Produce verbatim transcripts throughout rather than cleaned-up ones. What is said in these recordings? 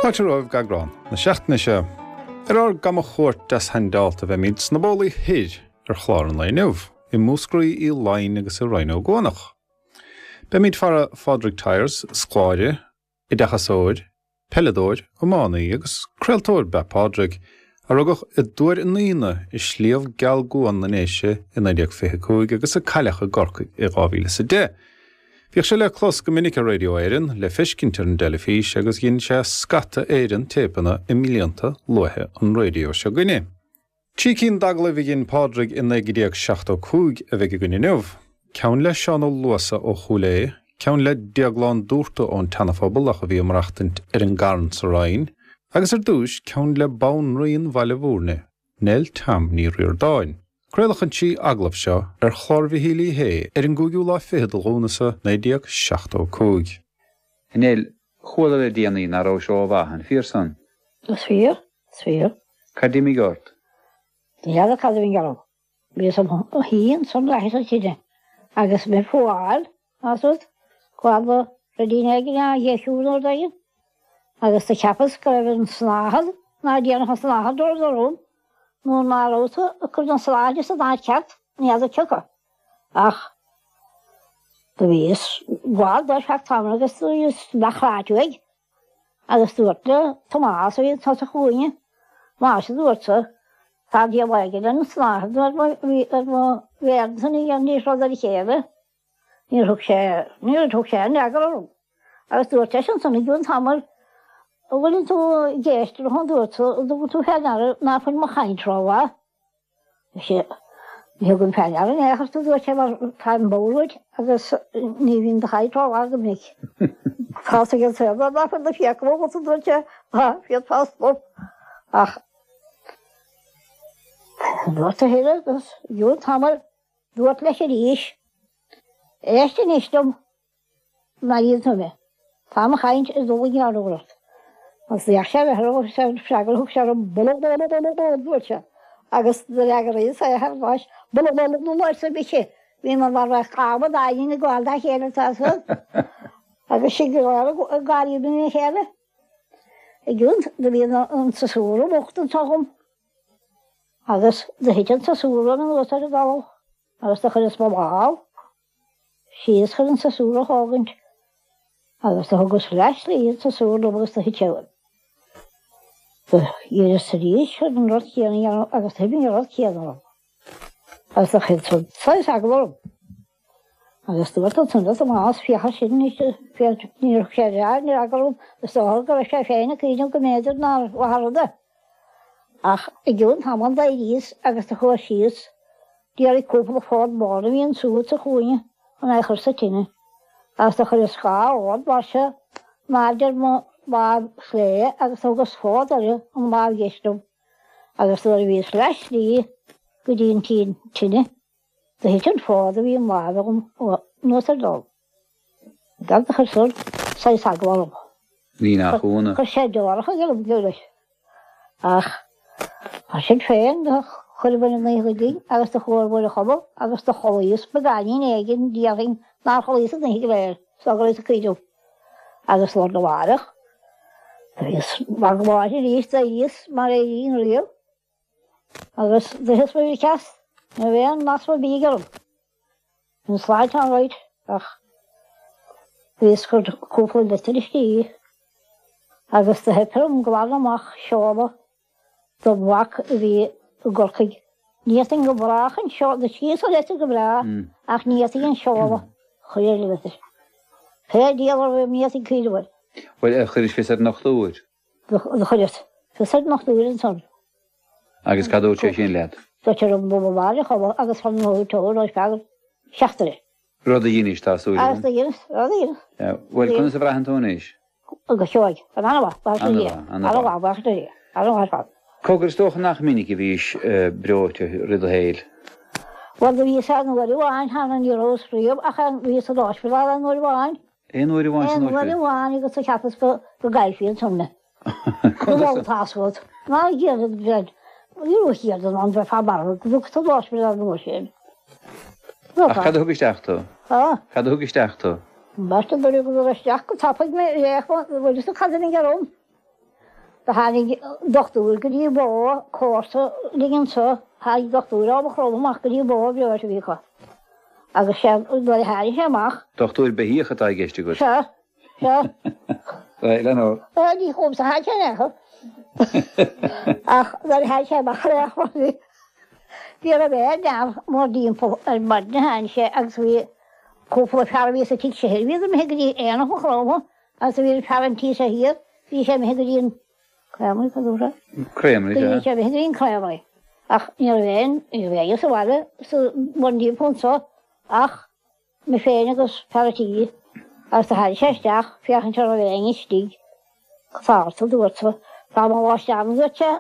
Fáilte romhaibh go eagrán na seachtaine seo. Ar ár gcamachuairt deashaindeálta beimid sna bólaí thoir ar chlár an lae inniu, i Múscraí Uí Laighin agus i Rinn Ó gCuanach. Beimid fara Phádraig Tyers, scoláire, oideachasóir, peileadóir, iománaí agus craoltóir ba ea Pádraig, a rugadh i dTuar an Aoine i Sliabh Geal gCuan na nDéise i naoi déag fiche cúig agus a cailleadh i gCorcaigh i dhá mhíle is a deich. Bhíodh sé le clos go minic ar Radio Éireann, le feiscint ar an dteilifís agus dhein sé scata Éireann téipeanna i mblianta luaithe an raidió seo againne. Trí cinn d'agallaimh a dhein Pádraig i naoi déag seachtó cúig a bheidh againn inniu, ceann le Seán Ó Luasa ó Chúil Aodha, ceann le Déaglán Dúrta ón tSeanaphobal ach a bhí ag maireachtaint ar an gCarn sa Rinn, agus ar dtúis ceann le Banríon Bhaile Bhúirne, Nell Tom Ní Ríordáin. Craoladh an trí agallamh seo ar chlár Mhichíl Uí Shé ar an gcúigiú lá fichead de Lúnasa naoi déag seachtó cúig. A Nell, chuala le déanaí nach rabhais rómhaith, an fíor san? Is fíor, is fíor. Cad d'imigh ort? Ní fheadar cad a bhí orm. Bhíos im shuí ansan leathas an tine agus mé fuáil, más rud, go raibh ruidín éigin á dheisiú nó rud éigin. Agus do cheapas go raibh an tsnáthaid, ná déanfadh an tsnáthaid dul orm, nó ná raibh tú ag cur an tsnáthaid san áit cheart, ní fheadar cioca. Ach do bhíos gabháil dó ar feadh tamaill agus do bhíos nach ráit uaidh. Agus dúirt le Tomás a bhí i dtosach chugainne, Más a dúirt sa, tá diabhal éigin ar an tsnáthaid ar mo ar mo mhéar san ní dhéanfaidís rud ar a chéile. Níor thug sé, níor thug sé aon fhreagra orm. Agus dúirt seisean san i gcionn tamaill, An bhfuileann tú ag éisteacht an dúirt tú, an dtugann tú fé ndeara ná fuil mo chaint rómhaith? Sea, ní thugaim fé ndeara in aon chor tú, dúirt sé, mar táim bodhar uait agus ní bhíonn do chaint rómhaith go minic. Tá fhios ag an saol ná fuil na fiacla agat, a dúirt sé, ná féadfá stop. Ach dúirt a thuilleadh agus i gcionn tamaill dúirt leis arís, Éist anois liom. Má airíonn tú mé. Tá mo chaint ag dul i ngearr ort. Agus d'fhéach sé ar agus an freagra a thug sé orm, Bulululululul, a dúirt sé. Agus d'fhreagraíos é thar n-ais, Bululululul, arsa mise. Bhíomar mar bheadh amadáin ag gabháil dá chéile, tá fhios agat. Agus sinn go léir ag gáirí lena chéile. I gcionn do bhí an siosúr bocht anso agam agus do thit an siosúr anuas ar an dtalamh agus do chuireas mo lámh síos chun an siosúr a thógaint agus do thugas leath-shlí an siosúr liom agus do thit sé uaim. Do dh'iarras arís chun an rud céanna a dhéanamh agus do thit an rud céanna orm agus do chuir san saghas eagla orm. Agus dúirt ansan le Tomás, féach air sin anois, féach, níor thug sé aon fhreagra orm, is dócha go raibh sé féin ag cuimhneamh go mb'fhéidir nár mhaith an rud é. Ach i gcionn tamaill d'éiríos agus do chuas síos d'iarraidh cúpla fód bán a bhí ansúd sa chúinne chun é a chur sa tine, agus do chuireas dhá fhód mar seo in airde ar mo láimh chlé agus do thugas fód uirthi an láimh dheis liom, agus nuair a bhíos leath slí go dtí an tine do thit an fód a bhí im láimh agam anuas ar an dtalamh. Gan do chuir san saghas eagla orm. Ní nach ionadh. Chuir sé deoracha orm, leis. Ach mar sin féin, do chuireamair an oíche dínn agus do chuamair a chodladh agus do chodlaíos beagáinín éigin, déarfainn nár chodlaíos an oíche go léir, is dócha go rabhas ag cuimhneamh. Agus lá arna mhárach, do bhíos mar go láidir arís, d'éiríos mar a éirínn riamh agus d'itheas mo bhricfeast, ní raibh aon masma bídh orm. Bhí an tsláinte alright ach bhíos ag cur cúpla litir istigh agus do theip orm glanadh amach seoladh do mhac a bhí i gCorcaigh. Ní fhéadfainn go brách an seoladh, do scríobhas an litir go breá ach ní fhéadfainn an seoladh a chur ar an litir. Pé diabhal a bhí orm ní fhéadfainn cuimhneamh air. Bhuel, ar chuiris fios ar an ndochtúir? Do chuireas fios ar an ndochtúir ansan. Agus cad dúirt sé sin leat? Dúirt sé liom dul abhaile a chodladh agus fan an tóir ar feadh seachtaine. Rud a dheinis, tá súil agam. Agus do dheineas, rud a dheineas. Bhuel, conas a bhraitheann tú anois? Go seoigh. An-mhaith, buíochas le Dia. An-mhaith, buíochas le Dia. An-mhaith ar fad. Cogar, is dócha nach minic a bhís breoite rith do shaoil? Bhuel, do bhíos aon uair amháin cheana, ní rabhas riamh ach bhíos san ospidéal aon uair amháin. Aon uair amháin san ospidéal? Aon uair amháin agus do cheapas go gcaillfí ansan mé. Go bhfuil tá fhios agat. Ná iarraidh breid. Ní raibh siad in ann bheith marbh go dtug san ospidéal an uair sin. Ach cad a thug isteach tú? Há? Cad a thug isteach tú? Ambaiste nuair a thug isteach go tapaidh mé réidh bhfuil fhios agat cad a bhí orm. Do tháinig dochtúir go dtí bó, comharsa linn anseo, tháinig dochtúir ó Mhaigh Chromtha amach go dtí bó breoite a bhí acu. Agus sé, nuair a tháinig sé amach. Dochtúir beithíoch atá i gceist agat. Sea, sea. Bhuel, an ea? Ní chugamsa a tháinig sé in aon chor. Ach nuair a tháinig sé amach ar aon chor, bhí, ní raibh aon neach mórthimpeall ar maidin a tháinig sé agus bhí cúpla fear a bhí sa tigh seo thoir, bhíodar imithe go dtí aonach Mhaigh Chromtha agus bhí an fear an tí seo thiar, bhí sé imithe go dtí an Creamery, cad dúirt sé? Creamery, Bhí sea. sé imithe go dtí an Creamery. Ach ní raibh aon, ní raibh éinne sa bhaile sa mórthimpeall anseo ach mé féin agus fear an tí agus do tháinig sé isteach féachaint an raibh éinne istigh. Cad tá ort, a dúirt sé. Tá mo ghluaisteán, a dúirt sé,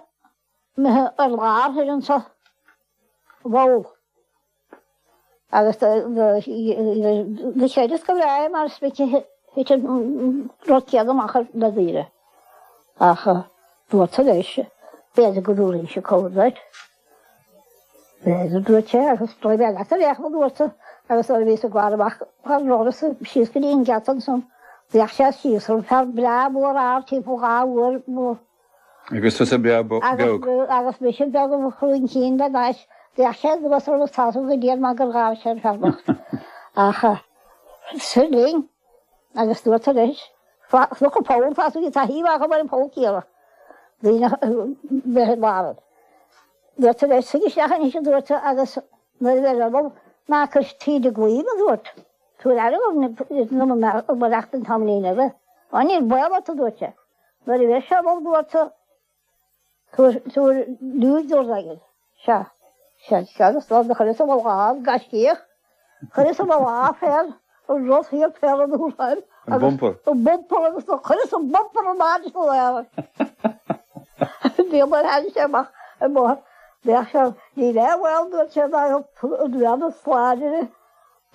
imithe ar lár thoir anseo i bpoll. Agus do chreideas go breá é mar is minic a thit an rud céanna amach ar na daoine. Ach dúirt sé leis, b'fhéidir go dtabharfainnse cabhair duit. B'fhéidir, dúirt sé, agus raghaidh mé leat ar aon chuma, dúirt sé, agus nuair a bhíos ag gabháil amach an doras síos go dtí an geata ansan, d'fhéach sé síos orm, fear breá mór ard timpeall dhá uair mo. Agus tusa breá beag. Agus mise beag i mo chrúinchín le d'ais. D'fhéach sé anuas orm agus tá 'fhios agam go dian maith gur ghabh sé an fear bocht. Ach soir linn agus dúirt leis, Fliuch an poll, tá 'fhios agat, tá taobh acu ar an pholl céanna, daoine bheith i lár. Dúirt leis, Suigh isteach anois, a dúirt agus nuair a bheir orm, ná cuir tríd an gclaí mé, a dúirt. Tabhair aire dom amaireach don tamaillín eile. Á níl baol ort, a dúirt sé. Nuair a bheir sé orm, a dúirt Tabhair, tabhair liúigh dúirt aige. Sea, sea, sea, agus do chuireas i mo lámh, gaiscíoch, chuireas i mo lámh féin an rud thiar féin an uair An bumper. An bumper agus do chuireas an bumper in airde san aer. Níl mar tháinig sé amach an bóthar. Bheadh sé, níl aon bhaol, dúirt sé, ná an bhean is láidre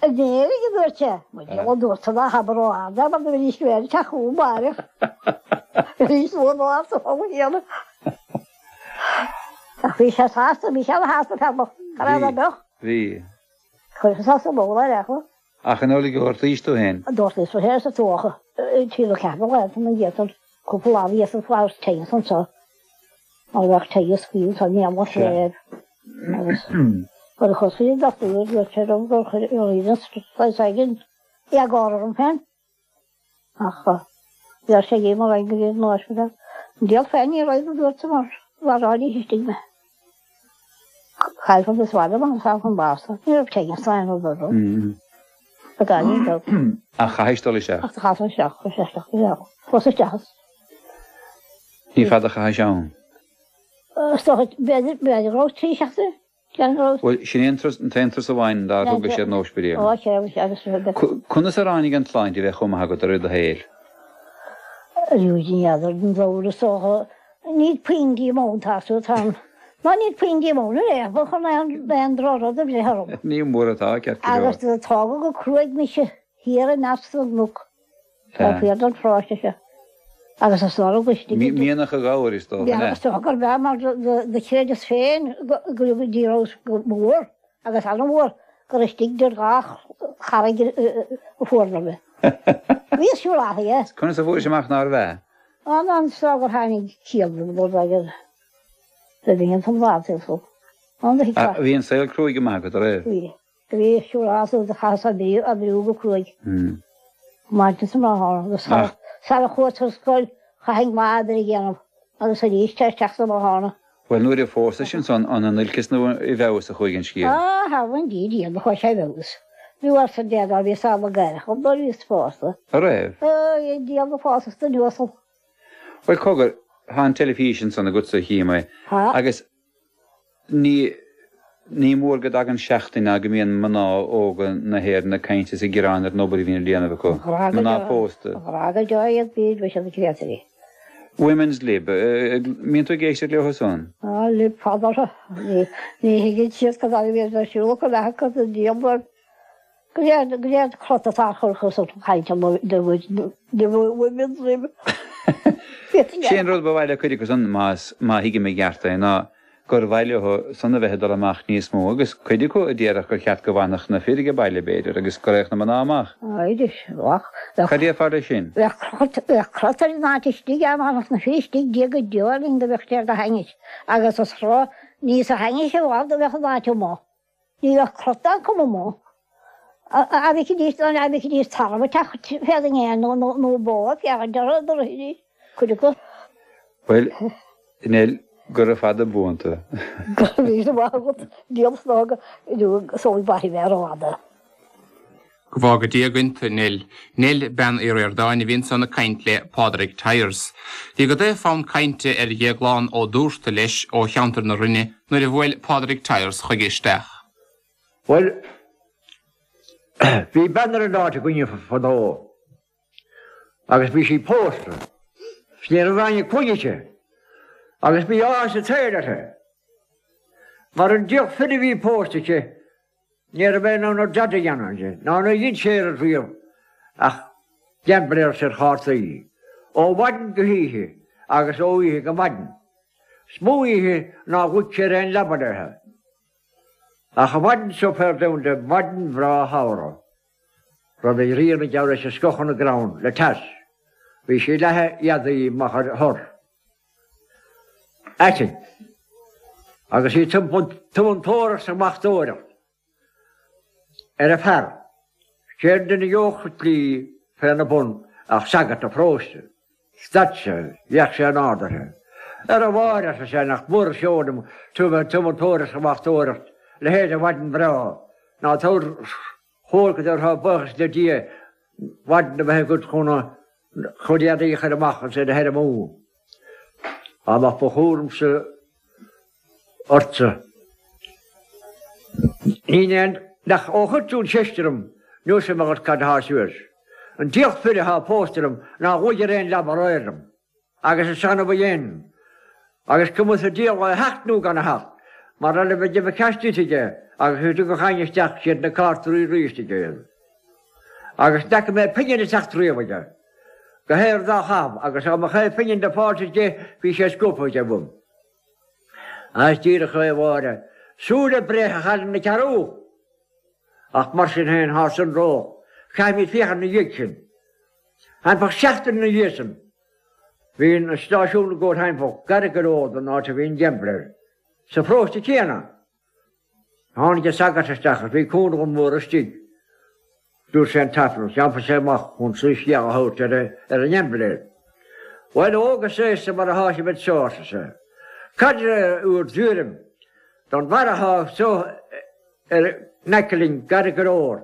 In Éirinn, a dúirt sé. Mo dhiabhal, a dúirt sé, ná habair ró-ard é mar do bhí níos mé ag teacht chugam amárach. Arís luath lá sa pholl chéanna. Ach bhí sé sásta, bhí sé ana-shásta fear bocht, cá raibh ná beadh. Bhí. Chuir sé sa bpoll ar aon chuma. Ach an amhlaidh a ghortaís tú féin? Ghortaíos mé féin sa tuacha. Trí nó ceathair lá ina dhiaidh san, cúpla lá bhíos ag fáil tinneas anseo. Mar bheadh tinneas faoi anseo in aon chléibh. Agus nuair a chuas go dtí an dochtúir dúirt sé liom gur chuir an saghas éigin éagóir orm féin. Ach bheir sé dhíom ar aghaidh go dtí an ospidéal. An diabhal féin ní raibh, a dúirt sé, mar mharáidís istigh mé. Chaillfeadh is bhaile mar a chun báis. Ní raibh tinneas ná aon rud orm. Beagáinín beag. Ach chaithis dul isteach? Ach chaitheas isteach, chuir sé isteach go deo. Chuas isteach is. Ní fada a chaithis ann? Is dócha, b'fhéidir, b'fhéidir go raibh trí seachtaine, déarfainn go raibh. Bhuel, sin é an turas, an t-aon turas amháin dár thugais ar an ospidéal. Ó, sea, sea, agus. Conas ar tháinig an tsláinte a bheith chomh maith agat i rith do shaoil? Arís, ní fheadar den dóigh is dócha, níl puinn díomóin, tá tú, tá an, ná níl puinn díomóin ar aon chor chun aon, aon drochrud a bhreith orm. Ní mór atá, ceart go leor. Agus do tógadh go cruaidh mise thiar i measc na gcnoc, taobh thiar den pharóiste seo. Agus is dóigh go istigh. Mianach an ghabhair, is dócha, an ea? Is dócha gurb ea, mar do chreideas féin go rabhas go mór, agus an-mhór, gur istigh idir dhá charraig a fuaireadar mé. Bhíos siúráilte. Conas a fuairis amach nárbh ea? An an tráth gur tháinig ciall dom rud éigin do bhí an t-am lámh An do Bhí an saol cruaidh go maith agat, an raibh? Bhí. Bhí siúráilte do chaitheas oibriú go cruaidh. Maidin is máthair agus sara chuas ar scoil chaithfinn lá oibre a dhéanamh agus arís tar éis teacht abhaile. Bhuel nuair a phósais ansan an in olcas nó i bhfeabhas a chuaigh an scéal? Á, thar an Dia Dia do chuaigh sé i bhfeabhas. Bhí uasal Dé dá bhíos ann gáireach dom nuair a bhíos pósta. A raibh? Á, a Dhia do phósas duine uasal. Bhuel cogar, tá an teilifís ansan agatsa a chím é Tá. agus Ní ní mór go dtagann seachtain ná go mbíonn mná óga na hÉireann ag caint is ag gearán ar an obair a bhíonn á déanamh acu. Ghrá go Mná deo, pósta. ghrá go deo iad bíd bhí siad ag créatúirí. Women's Lib, mbíonn tú ag éisteacht leo san? Á, lib fada orthu. Ní ní thuigeann siad cad é a bhíonn ar siúl acu leath acu don diabhal. Go léir go léir crot atá á chur acu san chaint amuigh de de Women's Lib. Sé an rud ba mhaith le cuid acu san, más má thuigim i gceart é, ná gur mhaith leo san a bheith ag dul amach níos mó agus cuid acu a déarfadh gur cheart go bhfanfadh na fir ag baile b'fhéidir agus go raghadh na mná amach. B'fhéidir, bheadh. Cad déarfá leis sin? Bheadh crot, bheadh crot ar an áit istigh dá mbeadh na fir istigh Dia go deo linn do bheadh sé do thaithnit agus is rud níos a thaithnit i bhfad do bheadh an áit amuigh. Ní bheadh crot acu amuigh. A bhfeicfidís, a bhfeicfidís tarbh ag teacht féadainn é nó nó bó ag féachaint orthu do rithidís cuid acu. Bhuel, Nell, gura fada buan tú. Go raibh míle maith agat, Diabhal snámh go sóigh mhaith mé rófhada. Go bhfága Dia againn tú, Nell. Nell, Bean Uí Ríordáin, a bhí ansan ag caint le Pádraig Tyers. Bhí go dtaobh fonn cainte ar Dhéaglán Ó Dúrta leis ó cheantar na Rinne nuair a bhuail Pádraig Tyers chuige isteach. Bhuel, bhí bean ar an áit againne fadó agus bhí sí pósta. 'S ní raibh éinne clainne aici agus bhí áthas an tsaoil uirthi. Mar an diabhal fir a bhí pósta aici, ní raibh é in ann dada a dhéanamh di, ná níor dhein sé oiread riamh ach gaimbléireacht ar chártaí, ó mhaidin go hoíche agus ó oíche go maidin. 'S mó oíche nár luigh sé ar aon leaba léithe. Ach an mhaidin seo fér domhan maidin bhreá shamhraidh, raibh an ghrian ag geall leis ag scoitheadh na gcrann le teas, bhí sí ag leathadh éadaí amach ar thor aitinn agus í ag tumantóireacht 's ag machtóireacht ar a fear. Cén duine a gheobhadh an tslí féna bun ach sagart an pharóiste. Stad sé, d'fhéach sé in ard uirthi. Ar a Mháire, arsa sé, nach mór an seó liom tú a bheith ag tumantóireacht 's ag machtóireacht leithéid de mhaidin bhreá. Ná tabhair chomhair go dtabharfá buíochas le Dia maidin a bheith agat chun a chuid éadaí a chur amach agus iad a thirimú. Dá mbeadh mo chúramsa ortsa. Ní aon nach ó chuir tú an cheist orm, neosfaidh mé dhuit cad atá suas. An diabhal fir atá pósta liom nár luigh ar aon leaba aréir liom. Agus is annamh a dhein. Agus cuma sa diabhal é a theacht nó gan a theacht, mar eile bheadh uimh ceist duit aige agus go dtugadh éinne isteach siad na cártaí arís aige iad. Agus n'fheaca mé pingin ag teacht riamh aige. Go haer dá chaitheamh agus dá mbeadh aon phingin le fáilt aige bhí sé scuabtha aige uaim. Is díreach é a Mháire. Súil bréige a chailleann na cearúil. Ach mar sin féin, thá san ró. Caithfimid féachaint ina dhiaidh sin. Thimpeall seachtain ina dhiaidh sin, bhí an stáisiún ag gabháil thimpeall gar go leor don áit a bhí an gaimbléir, sa pharóiste céanna. Tháinig an sagart isteach agus bhí cúnamh mór istigh. Dúirt sé an tAifreann, d'iompaigh sé amach chun soiscéal a thabhairt ar an ngaimbléir. Bhuel, óg is aosta mar atá sibh anseo, arsa sé. Cad é bhur dtuairim don bhfear atá anseo ar in aice linn gar go leor,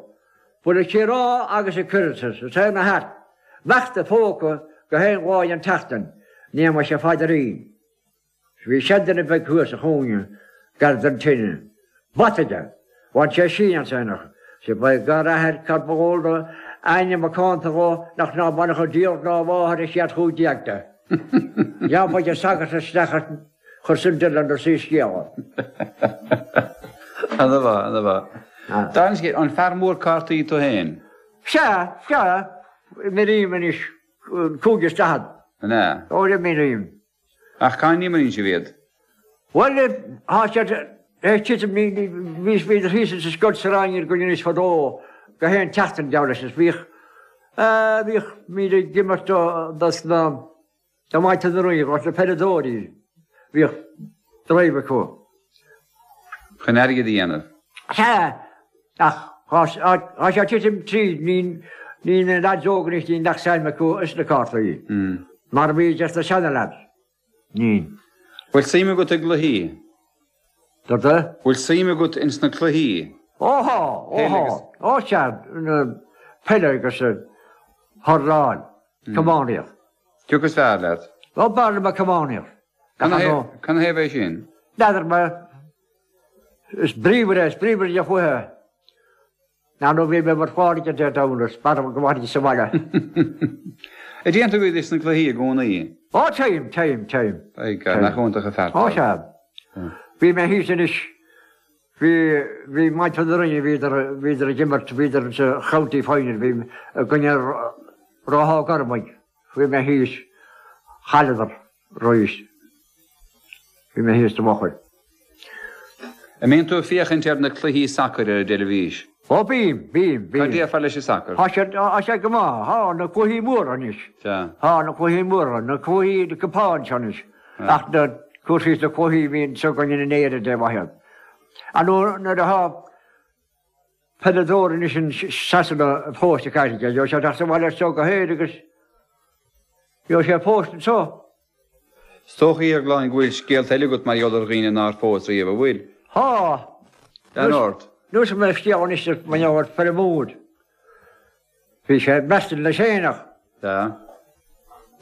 bhfuil ag rá agus ag cur sa saol na thart, imeacht a phóca go haon lá den tseachtain, in éagmais a phaidrín. Bhí seanduine beag thuas sa chúinne gar don tine. Bata aige. Bhain sé síneadh as aonach. Sea, ba é gar athair cad ba dhó do ainm macánta dhó nach ná bainfeadh an diabhal ná a mháthair a chéad chúig déag de. D'iompaigh an sagart isteach as chuir sin deireadh lena soiscéal. Ana mhaith, ana mhaith. Dála an scéil, an fear mór cártaí tú féin? Sea, sea, imrím anois cúig is daichead. An ea? Ó, imrím. Ach cá n-imríonn sibh iad? Bhuel, tá siad ag titim, bhí bhíodar thíos sa scoil sa Rinn againn anois fadó go haon tseachtain geall leis is bhíodh, bhíodh míle ag imirt do dos na, do mhuintir na Rinne, dos na peileadóirí, bhíodh drive acu. Chun airgead a dhéanamh? Sea, ach tá sé ag titim tríd, ní, ní na lads óga anois, níl nach suim acu is na cártaí, mar a bhí dos na seana lads. Ní. Bhfuil suim agat i gcluichí? Cad é? Bhfuil suim agat ins na cluichí? Ó thá, ó thá, ó sea, peile agus hurláil, camógaíocht. Cé acu is fearr leat? Ó b'fhearr liom an camógaíocht. Canathaobh é sin? N'fheadar mé. Is bríomhar é, is bríomhar de chluiche. Ná nó bhí mé mar Phádraig an Dé Domhnaigh, is b'fhearr go bhfanfainn sa bhaile. An dtéann tú go sna cluichí i gcónaí? Ó téim, téim, téim. By God, nach iontach an fear Ó sea. Bhí mé thíos anois, bhí, bhí muintir na Rinne, bhíodar, bhíodar ag imirt, bhíodar sa County Final, bhí i gcoinne Ráth Ó Gormaigh, bhí mé thíos, chailleadar arís. Bhí mé thíos sa bhfochair. An mbíonn tú ag féachaint ar na cluichí sacair ar an dteilifís? Ó bím, bím, bím. Cad déarfá leis an sacar? Tá sé, tá sé go maith, tá na cluichí móra anois. Sea. Tá na cluichí móra, na cluichí, na cupáin seo anois. Ach na cúrsaí is na cluichí a bhíonn s'againn in Éirinn dé maith iad. Ar ndóigh nuair atá peileadóir anois in Sasana pósta caithfidh sé, gheobhaidh sé teacht abhaile anseo go hÉirinn agus gheobhaidh sé pósta anseo. Is dócha, a Dhéagláin, go bhfuil scéalta eile agat mar gheall ar dhaoine nár phós riamh, an bhfuil? Tá. Lean ort. Neosfaidh mé scéal anois mar gheall ar feirmeoir. Bhí sé ag maireachtaint leis fhéineach. Sea.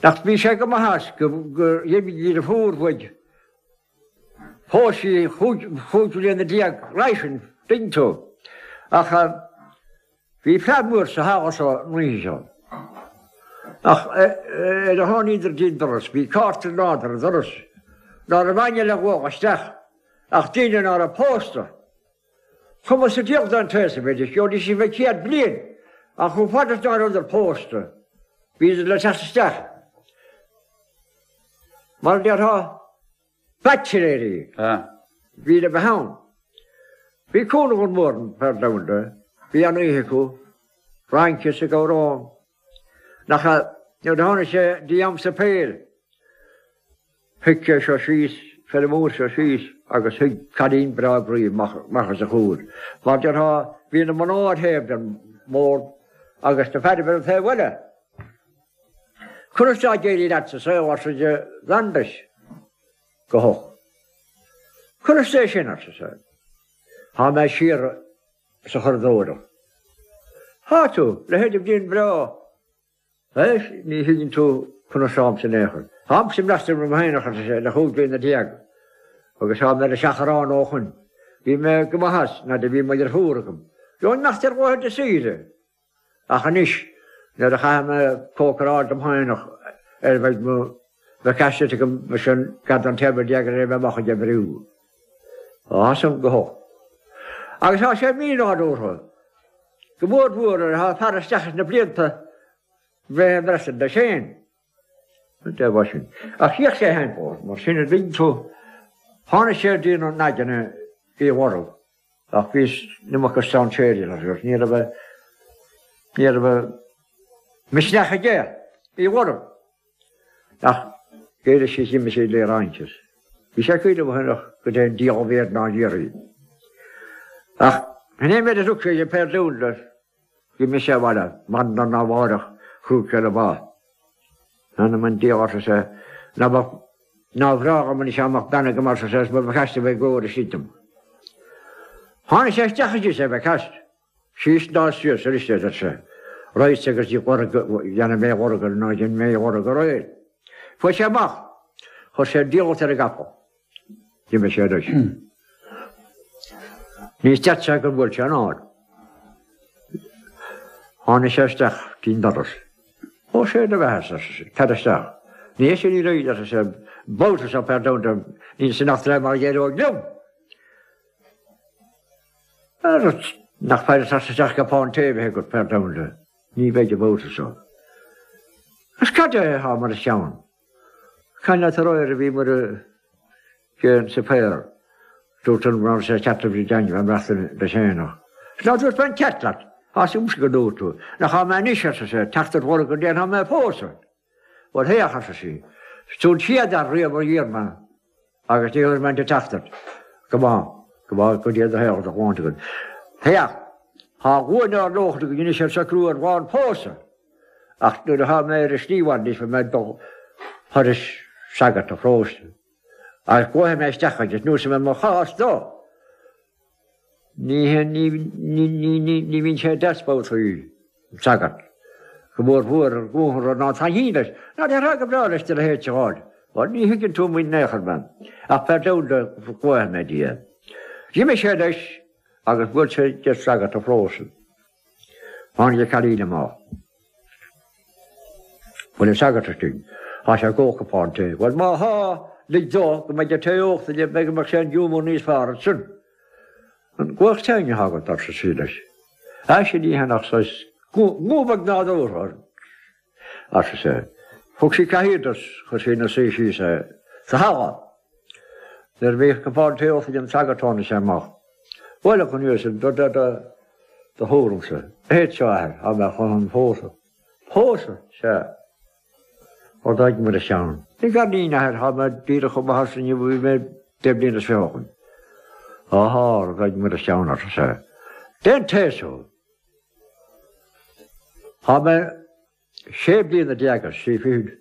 Nach bhí sé go maith as gur dh'imigh a dheirfiúr uaidh. Phós sí chúig bhliana déag roimhe sin, tuigeann tú. Ach bhí fleadh mhór sa halla seo an oíche seo. Ach ar a tháiníodar dtí'n doras, bhí cárta in airde ar an doras, ná raibh éinne le ghabháil isteach ach daoine ná raibh pósta. Cuma sa diabhal don t-aos a bheidís, gheobhaidís a bheith céad bliain, ach chomh fada is ná rabhadar pósta, bhíodar le teacht isteach. Mar a déarfá, baitsiléirí bhí le bheith ann. Bhí cúnamh an mhór an fear domhanda, bhí an oíche acu, rince is ag amhrán. Nach ea, nuair a tháinig sé dtí am suipéir, shuigh sé seo síos, feirmeoir seo síos agus shuigh cailín breá groí amach os a chomhair. Mar déarfá, bhí na mná ar thaobh den mbord agus na fearaibh ar an taobh eile. Conas tá ag éirí leat sa saol, arsa de Bhrandes go holc. Conas é sin, arsa sé. Tá mé siar sa churadóireacht. Tá tú, leithéid de bhliain bhreá. Éist, ní thuigeann tú conas táimse in aon chor. Táimse ag maireachtaint liom féineach, arsa sé, le chúig bliana déag, agus tá mé ar an seachrán ó shoin. Bhí mé go maith as nuair a bhí mo dheirfiúr agam. Gheobhainn imeacht ar laethanta saoire. Ach anois, nuair a chaithfidh mé cócaráil dom féineach ar bheidh mo bhreicfeasta agam sin gar don téarma déag ar bheith amach ag oibriú. Tá san go holc. Agus tá sé mínádúrtha, go mór mhór nuair atá fear isteach sna blianta bheith ag maireachtaint leis féin. An dé sin. Ach chíodh sé féin fós, mar sin a dtuigeann tú, tháinig sé dtí na naideanna í mharbh, ach bhí an iomarca strainséirí agus ní raibh ní raibh misneach aige í mharbh. Ach d'éirigh sí d'imigh sí le rince. Bhí sé cuimhneamh féin ach go dté an diabhal bhéar ná an iarraidh. Ach in aon mhéid a thug sé de péir dúinn leis, d'imigh sé abhaile, maidin arna mháireach chuaigh sé le bá. Anam an diabhail, arsa sé, ná beadh, ná bhreá dhom anois dá mbeadh bean agam, arsa sé, is mo bhreicfeasta a bheith i gcomhair istigh dom. Tháinig sé isteach arís ar bhreicfeast. Síos ná suas arís, a deir sé. Raghadsa agus ní dhéanfaidh mé a lorg ná dhein mé a lorg aréir. Fuair sé amach. Chuir sé diallait ar an gcapall. D'imigh sé leis. Ní stad sé gur bhuail sé an fhad. Tháinig sé isteach dtí'n doras. Ó sé do bheatha, arsa sé, tar isteach. Ní hé sin í réidh, arsa sé, babhta seo per domhan níl san eachtra mar a d'éireodh liom. Nach féidir teacht isteach cupán tae a bheith agat per domhan ní bheidh an babhta seo. Is cad é atá mar a cheann? Caint leat aréir a bhíomar ag an suipéar. Dúirt an raibh sé ceart a bhí déanamh an mheastar leis féin ach. Is ná dúirt mé an ceart leat, tá súil agam go ndúirt tú, nach thá mé anois, arsa sé, teacht ar lorg go ndéanfaidh mé pósadh. Bhuel féach, arsa sí, is tú an chéad fhear riamh a d'iarr mé agus ní thabharfaidh mé an teacht ort. Go maith, go maith, go dté do shaol do shláinte agat. Féach, thá glúin ár lóchrann againn anois ar socrú ar lá an phósadh, ach nuair athá mé ar an slí abhaile anois beidh mé ag dul thairis sagart an pharóiste agus glaofaidh mé isteach air is neosfaidh mé mo chás dó. Ní ní bhíonn sé deas babhtaí, an sagart, go mór mhór ar ghnóthú rud ná taitníonn leis, ná déarfá go breá leis do leithéid a fháil. Bhuel, ní thuigeann tú muid in aon chor, ma'am, ach per domhan glaofaidh mé dtí é. D'imigh sé leis agus bhuail sé de shagart an pharóiste. Tháinig an cailín amach. Bhfuil an sagart istigh? Tá sé ag ól cupán tae. Bhuel, má thá, lig dó go mbeidh an tae ólta aige, beidh go mbeadh sé an giúmar níos fearr ansin. An guth teanga atá agat, arsa sí leis. Á, sin ní hea ach saghas guth beag nádúrtha, arsa sé. Thug sí cathaoir dó is chuir sí ina suí síos é sa halla. Nuair a bhíodh cupán tae ólta ag an sagart tháinig sé amach. Bhuel, a Chonmhaoil, do, do, do, do thuairimse, a théid seo athair, thá mé chun an phósadh. Pósadh? Sea. Ó d'fhág muid a cheann. Ní garnín, athair, thá mé díreach chomh maith ortsa inniu a bhí mé deich mbliana is fiche ó shoin. Áhá, d'fhág muid a cheann, arsa sé. Dén taos thú. Thá mé sé bliana déag is trí fichid.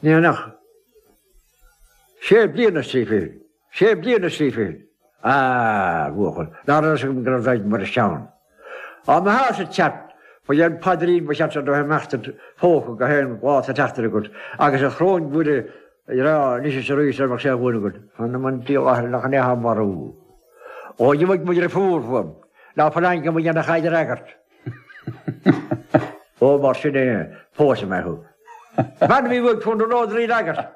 Ní nach. Sé bliana is trí fichid. Sé bliana is trí fichid. Ah, bhuachaill, ná raibh fhios agam go raibh daid mar a cheann. Á mba theas a teacht, ba é an paidrín ba cheart do imeacht id phóca go haon lá sa tseachtain agat agus a shróin Mhuire a rá anois is arís ar mbeadh sé bhuain agat. Th'anam 'on diabhal athair nach in é atá marú. Ó gheobhaidh mo dhrifiúr uaim. Ná fuil aon mo dhéanamh a fhreagairt. Ó, mar sin é, pósfaidh mé thú. Bean a bhí uaidh fón an ród rí fhreagairt.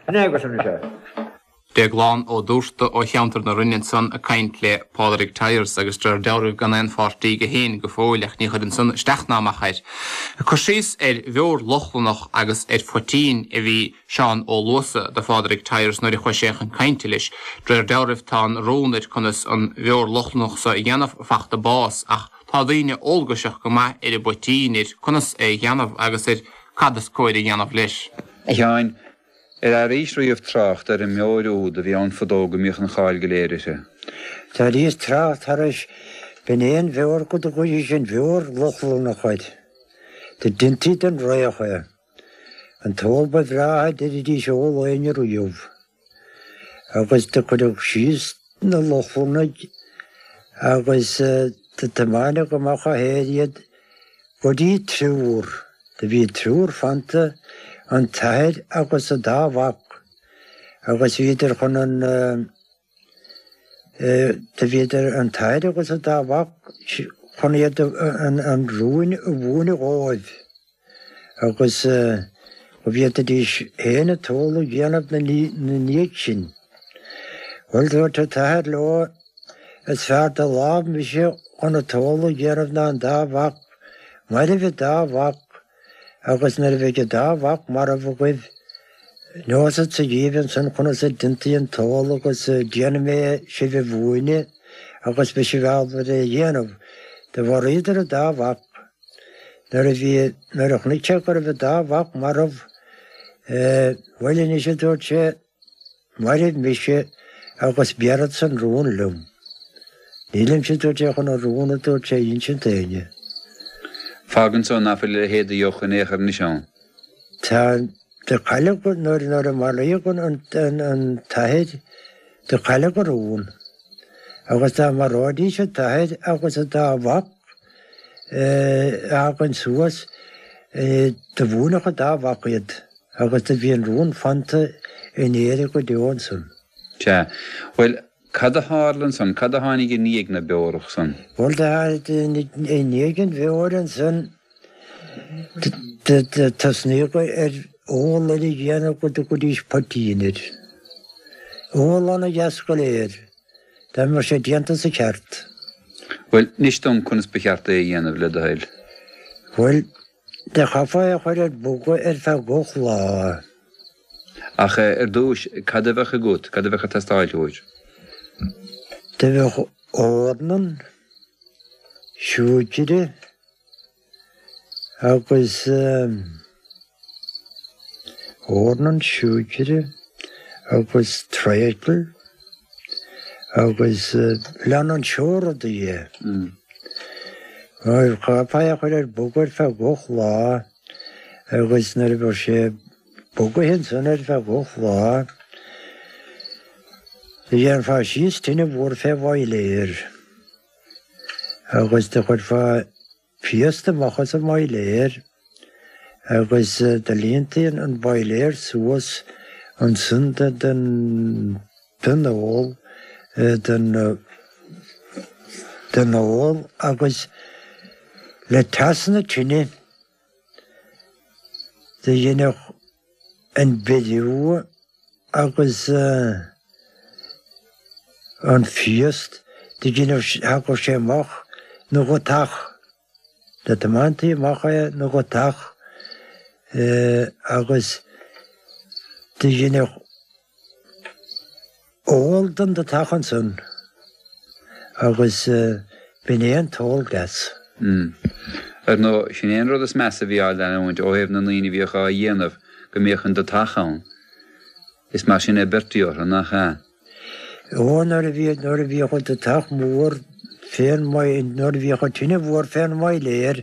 In éagas anois é. Déaglán Ó Dúrta ó cheantar na Rinne ansan ag caint le Pádraig Tyers agus de réir dealraimh gan aon pháirtí aige féin go fóill ach ní chuireann san isteach ná amach air. Ag cur síos ar bheoir Lochlannach agus ar phoitín a bhí Seán Ó Luasa do Phádraig Tyers nuair a chuaigh sé chun cainte leis. De réir dealraimh tá an rún ar conas an bheoir Lochlannach so a dhéanamh fachta bás ach tá daoine eolgaiseach go maith ar an bpoitín, ar conas é a dhéanamh agus ar cad is cóir a dhéanamh leis. A Sheáin, ar airís riamh trácht ar an mbeoir úd a bhí ann fadó go mbíodh an cháil go léir uirthi? D'airíos trácht thairis, b'in é an bheoir go dtugaidís an bheoir Lochlannach air. Do deintí den fhraoch é. An t-ól ba bhreátha a deiridís a ól éinne riamh. Agus do cuireadh síos na Lochlannaigh agus do tiomáineadh amach ó thoir iad go dtí triúr. Do bhí triúr fanta, an t-athair agus a dá mhac, agus bhíodar chun an, do bhíodar, an t-athair agus a dá mhac, chun iad an rún a mhúineadh dhóibh. Agus go bhféadfaidís féin an t-ól a dhéanamh 'na ndiaidh sin. Bhuel, dúirt an t-athair leo, is fearr de láimh mise chun an t-ól a dhéanamh ná an dá mhac, mairbh an dá mhac, agus nuair a bheidh an dá mhac marbh agaibh, neosadsa dhíbh ansan conas a deintí an t-ól agus déanfaidh mé sibh a mhúineadh agus beidh sibh ábalta é a dhéanamh. Do mharaíodar an dá mhac. Nuair a bhí, nuair a chonaic sé go raibh an dá mhac marbh, bhuel anois, a dúirt sé, mairbh mise agus béarfadsa an rún liom. Nílimse, a dúirt sé, chun an rún, a dúirt sé, a insint d'éinne. Fágann so ná fuil a leithéid de dheoch in aon chor anois ann. Tá, do cailleadh, nuair, nuair a maraíodh an, an, an t-athair, do cailleadh an rún. Agus dá maróidís an t-athair agus an dá mhac, a fhágaint suas, do mhúinfeadh an dá mhac iad agus do bhí an rún fanta in Éirinn go deo ansan. Sea. Bhuel, cad a tharla ansan? Cad a tháinig i ndiaidh na beorach san? Bhuel, do tháinig i ndiaidh an bheoir ansan, do tosnaíodh ar ól eile a dhéanamh go dtugaidís poitín air. Ól ana-dheas go léir. Dá mbeadh sé déanta sa cheart. Bhuel, inis dom conas ba cheart é a dhéanamh, le do thoil. Bhuel, do chaithfeá é a chur ar bogadh ar feadh ocht lá. Ach ar dtúis, cad a bheadh agat, cad a bheadh ag teastáil uait? Do bheadh eorna, siúicre agus eorna, siúicre agus treacle. Agus lean an seó rudaí é. Chaithfeá é a chur ar bogadh ar feadh ocht lá agus nuair a bheadh sé bogaithe ansan ar feadh ocht lá, do dhéanfá síos tine mhór fé bhoiléar agus do chuirfeá piast amach as an mboiléar agus do líontaí an boiléar suas ansan den den ól, den den ól agus le teas na tine do dhéanfadh an beiriú agus an phiast do dhéanfadh, thagadh sé amach 'na dhotach. Do tiomáintí amach é 'na dhotach agus Do dheineadh ól den deatach ansan agus b'in é an t-ól deas. Ar ndóigh, sin é an rud is measa a bhí á leanúint ó thaobh na ndaoine a bhíodh á dhéanamh, go mbíodh an deatach ann. Is mar sin a beirtí orthu, nach ea? Ó, nuair a bhí, nuair a bhíodh an deatach mór fén nuair a bhíodh an tine mhór fén mboiléar,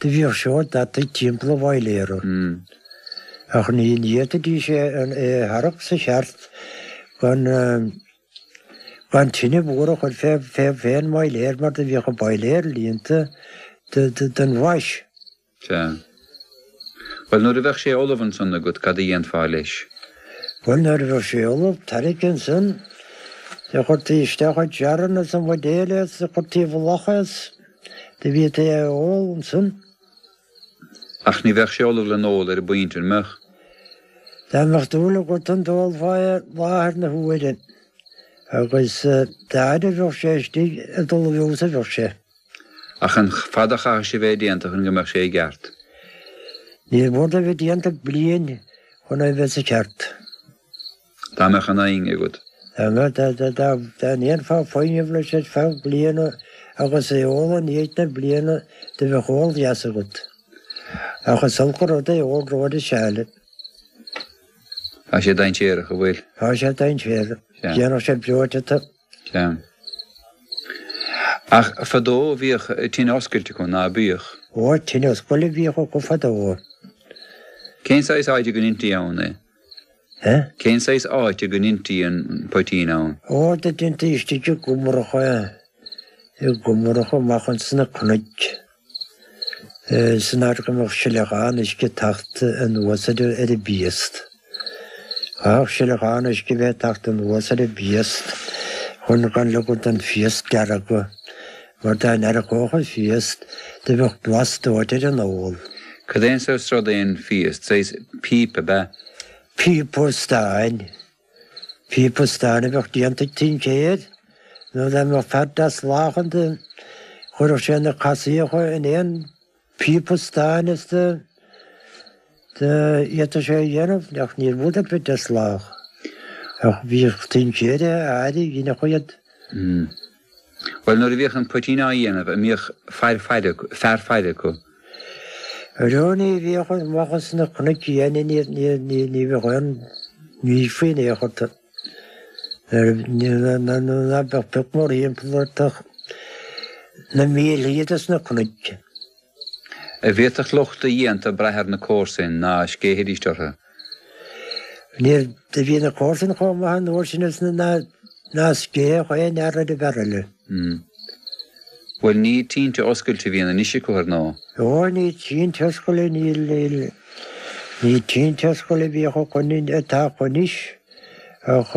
do bhíodh seó deataigh timpeall an bhoiléara. Ach ní fhéadfaidís é a tharrac sa cheart gan gan tine mhór a chur fé fén mboiléar mar do bhíodh an boiléar líonta den mhais. Sea. Bhuel, nuair a bheadh sé ullamh ansan agat, cad a dhéanfá leis? Bhuel, nuair a bheadh sé ullamh, tarraingthe ansan, do chuirtí isteach i jarranna is i mbuidéil é is do chuirtí i bhfolach é is do bhítí é a ól ansan. Ach ní bheadh sé ullamh le n-ól ar an bpointe, an mbeadh? Dá mbeadh dúil agat ann d'ólfá é láthair na huaire, agus dá fhaid a bheadh sé istigh ag dul i bhfeabhas a bheadh sé. Ach an fada a chaithfeadh sé bheith déanta chun go mbeadh sé i gceart? Ní mór dó bheith déanta bliain chun é bheith sa cheart. Dá mbeadh an fhoighne agat. Dá mbeadh, dá ndéanfá foighneamh leis ar feadh bliana agus é ól i ndiaidh na bliana do bheadh ól deas agat. Ach is olc an rud é ól rófhada seal. Tá sé dainséarach, an bhfuil? Tá sé dainséarach. Déanfadh sé breoite tú. Sea. Ach fadó bhíodh tine oscailte acu, ná bíodh? Ó, tine oscailte a bhíodh acu fadó. Cén saghas áite go ndeintí ann é? Eh? Cén saghas áite go ndeintí an poitín ann? Ó, do deintí istigh i gcumracha é, i gcumracha amach ins na cnoic. San áit go mbeadh sileachán uisce ag teacht anuas ar an bpiast. Chaithfeadh sileachán uisce bheith ag teacht anuas ar an bpiast chun gan ligean don phiast deargadh, mar dá ndeargódh an phiast do bheadh blas dóite ar an ól. Cad é an saghas rud é an phiast? Saghas píopa, ab ea? Píopa stáin. Píopa stáin a bheadh déanta ag tincéir, nó dá mbeadh fear deas lách ann do chuirfeadh sé na casaíocha in aon phíopa stáin is do d'fhéadfadh sé a dhéanamh, ach níor mhór do bheith deas lách. Ach bhíodh tincéirí áirithe, dheineadh iad. Bhuel, nuair a bhíodh an poitín á dhéanamh, an mbíodh fear faire, fear faire acu? Arú ní bhíodh amach as na cnoic fhiáine, ní, ní, ní, ní bheadh aon ní faoi in aon chor. Ná beadh pioc mórthimpeall ort ach na mílthí dos na cnoic. An bhféadfadh lucht a dhéanta brath ar na comharsain ná scéithfidís orthu? Níor, do bhí na comharsain chomh maith an uair sin is ná ná scéithfeadh aon fhear ar an bhfear eile. Bhuel, ní tinte oscailte a bhíonn anois acu, ar ndóigh. Ó, ní tinte oscailte, níl, níl, ní tinte oscailte a bhíodh acu, atá acu anois, ach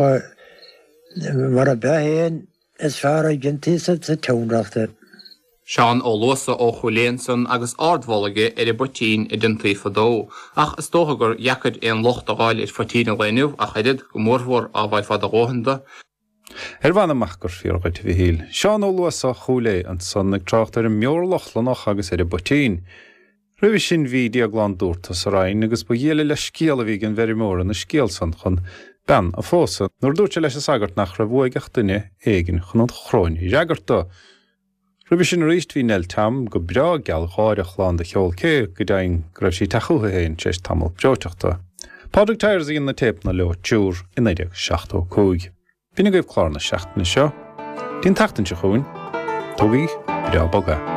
mar a b'ea féin, is fearr a dhéantaí sa tseanreacht é. Seán Ó Luasa ó Chúil Aodha ansan agus ardmholadh aige ar an bpoitín a déantaí fadó. Ach is dócha gur dheacair aon locht a fháil ar phoitín an lae inniu ach oiread, go mórmhór á bhfaighfeá do dhóthain de. Ar mh'anam ach gur fíor dhuit, a Mhichíl. Seán Ó Luasa Chúil Aodha ansan ag trácht ar an mbeoir Lochlannach agus ar an bpoitín. Roimhe sin bhí Déaglán Dúrta sa Rinn agus ba ghialla le scéal a bhí ag an bhfeirmeoir ina scéal san chun bean a phósadh nuair a dúirt sé leis an sagart nach raibh uaidh ach duine éigin chun an chróin a fhreagairt dó. Roimhe sin arís bhí Nell Tam go breá gealgháireach lán de cheol cé go deimhin go raibh sí ag teach chúithi féin tar éis tamall breoiteachta. Pádraig Tyers a dhein na téipeanna leo triúr i naoi déag seachtó a cúig. B'in agaibh clár na seachtaine seo. Dtí an tseachtain seo chugainn, tógaigí breá bog é.